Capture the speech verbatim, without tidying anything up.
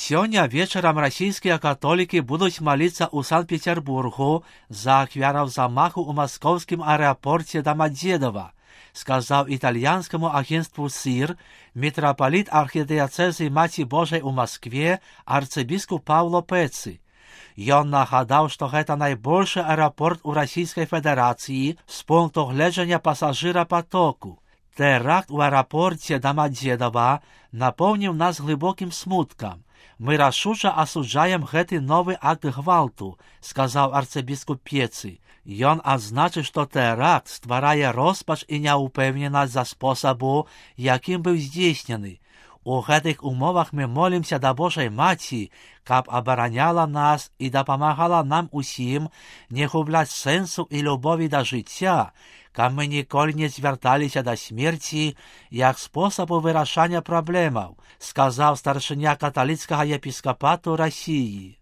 Сёння вечарам расійскія католікі будуць маліцца ў Санкт-Петербургу за ахвяраў замаху ў маскоўскім аэропорце Домодедово, сказаў італьянскаму агентству СИР мітрапаліт архідыяцэзы Маці Божай у Маскве арцыбіскуп Паўло Пэцы. Ён нагадаў, што гэта найбольшы аэрапорт у Расійскай Федэрацыі з пункту гледжання пасажырапатоку. Тэракт у аэрапорце Домодедово напоўніў нас глыбокім смуткам. Мы рашуча асуджаем гэты новы акт гвалту, сказаў арцыбіскуп Пецы. Ён адзначыў, што тэракт стварае роспач і няўпэўненасць за спосабу, якім быў здзейснены. У гэтых умовах мы молімся да Божай Маці, каб абараняла нас і дапамагала нам усім не губляць сэнсу і любові да жыцця, каб мы ніколі не звярталіся да смерці як спосабу вырашання праблемаў, сказаў старшыня каталіцкага епіскапату Расіі.